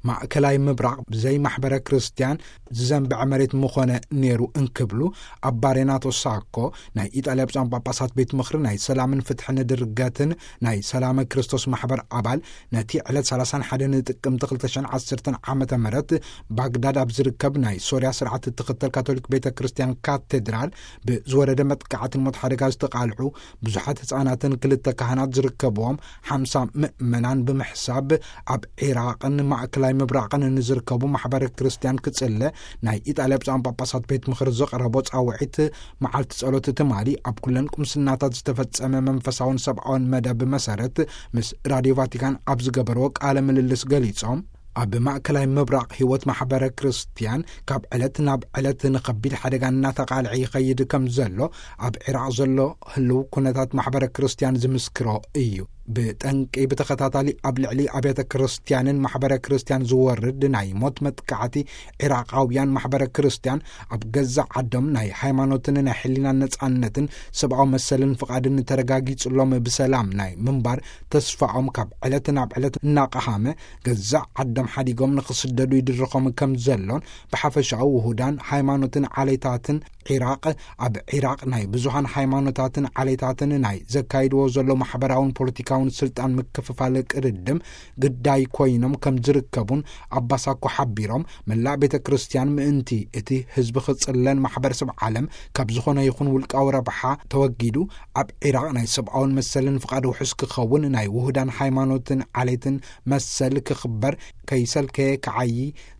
ማእከላይ ምብራቕ ብዘይ ማሕበረ ክርስትያን ዝዘንብዐ መሬት ምኾነ ነይሩ እንክብሉ፣ ኣባ ሬናቶ ሳኮ፣ ናይ ኢጣልያ ብፁዓን ጳጳሳት ቤት ምኽሪ ናይ ሰላምን ፍትሕን ድርገትን ናይ ሰላመ ክርስቶስ ማሕበር ኣባል፣ ነቲ ዕለት ሰላሳን ሓደን ጥቅምቲ ክልተ ሽሕን ዓሰርተን ዓመተ ምህረት ባግዳድ ኣብ ዝርከብ ናይ ሶርያ ስርዓት እትኽተል ካቶሊክ ቤተ ክርስትያን ካቴድራል ብዝወረደ መጥቃዕትን ሞት ሓደጋ ዝተቓልዑ ብዙሓት ህጻናትን ክልተ ካህናት ዝርከብዎም ሓምሳ ምእመናን ብምሕሳብ፣ ኣብ ዒራቕን ማእከላይ ምብራቕን ንዝርከቡ ማሕበረ ክርስትያን ክጽለ ናይ ኢጣልያ ብፁዓን ጳጳሳት ቤት ምኽሪ ዘቕረቦ ጻውዒት፣ መዓልቲ ጸሎት ትማሊ ኣብ ኩለን ቁምስናታት ዝተፈጸመ መንፈሳውን ሰብኣውን መደብ መሰረት ምስ ራድዮ ቫቲካን ኣብ ዝገበርዎ ቃለ ምልልስ ገሊጾም፣ ኣብ ማእከላይ ምብራቕ ህይወት ማሕበረ ክርስትያን ካብ ዕለት ናብ ዕለት ንኸቢድ ሓደጋ እናተቓልዐ ይኸይድ ከም ዘሎ፣ ኣብ ዒራቕ ዘሎ ህልው ኩነታት ማሕበረ ክርስትያን ዝምስክሮ እዩ። ብጠንቂ ብተኸታታሊ ኣብ ልዕሊ ኣብያተ ክርስትያንን ማሕበረ ክርስትያን ዝወርድ ናይ ሞት መጥቃዕቲ፣ ዒራቓውያን ማሕበረ ክርስትያን ኣብ ገዛእ ዓዶም ናይ ሃይማኖትን ናይ ሕሊናን ነጻነትን ሰብኣዊ መሰልን ፍቓድን ተረጋጊጹሎም ብሰላም ናይ ምንባር ተስፋኦም ካብ ዕለት ናብ ዕለት እናቐሃመ፣ ገዛእ ዓዶም ሓዲጎም ንኽስደዱ ይድርኾም ከም ዘሎን፣ ብሓፈሻኡ ውሁዳን ሃይማኖትን ዓሌታትን ዒራቕ፣ ኣብ ዒራቕ ናይ ብዙሃን ሃይማኖታትን ዓሌታትን ናይ ዘካይድዎ ዘሎ ማሕበራውን ፖለቲካውን ስልጣን ምክፍፋል ቅድድም ግዳይ ኮይኖም ከም ዝርከቡን ኣባ ሳኮ ሓቢሮም፣ መላእ ቤተ ክርስትያን ምእንቲ እቲ ህዝቢ ክጽለን ማሕበረሰብ ዓለም ካብ ዝኾነ ይኹን ውልቃዊ ረብሓ ተወጊዱ ኣብ ዒራቕ ናይ ሰብኣውን መሰልን ፍቓድ ውሑስ ክኸውን ናይ ውሁዳን ሃይማኖትን ዓሌትን መሰል ክኽበር ከይሰልከየ ክዓዪ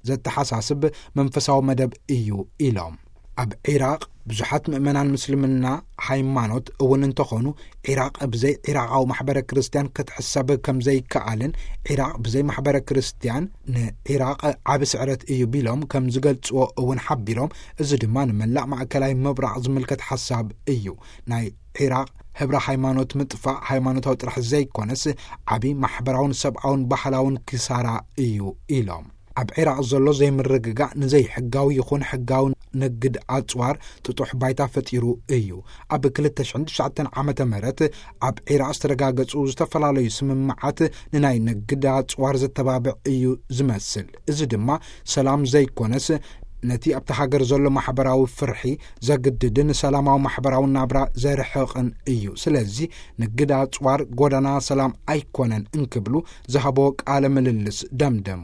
ዘተሓሳስብ መንፈሳዊ መደብ እዩ ኢሎም። ኣብ ዒራቕ ብዙሓት ምእመናን ምስልምና ሃይማኖት እውን እንተኾኑ፣ ዒራቕ ብዘይ ዒራቓዊ ማሕበረ ክርስትያን ክትሕሰብ ከም ዘይከኣልን፣ ዒራቕ ብዘይ ማሕበረ ክርስትያን ንዒራቕ ዓቢ ስዕረት እዩ ቢሎም ከም ዝገልጽዎ እውን ሓቢሮም፣ እዚ ድማ ንመላእ ማእከላይ ምብራቕ ዝምልከት ሓሳብ እዩ። ናይ ዒራቕ ህብረ ሃይማኖት ምጥፋእ ሃይማኖታዊ ጥራሕ ዘይኮነስ፣ ዓቢ ማሕበራውን ሰብኣውን ባህላውን ክሳራ እዩ ኢሎም። ኣብ ዒራቕ ዘሎ ዘይምርግጋእ ንዘይሕጋዊ ይኹን ሕጋዊ ንግድ ኣጽዋር ጥጡሕ ባይታ ፈጢሩ እዩ። ኣብ ክልተ ሽሕን ትሽዓተን ዓመተ ምህረት ኣብ ዒራቕ ዝተረጋገጹ ዝተፈላለዩ ስምምዓት ንናይ ንግድ ኣጽዋር ዘተባብዕ እዩ ዝመስል። እዚ ድማ ሰላም ዘይኮነስ፣ ነቲ ኣብቲ ሃገር ዘሎ ማሕበራዊ ፍርሒ ዘግድድን ሰላማዊ ማሕበራዊ ናብራ ዘርሕቕን እዩ። ስለዚ ንግድ ኣጽዋር ጎዳና ሰላም ኣይኮነን እንክብሉ ዝሃቦ ቃለ ምልልስ ደምደሙ።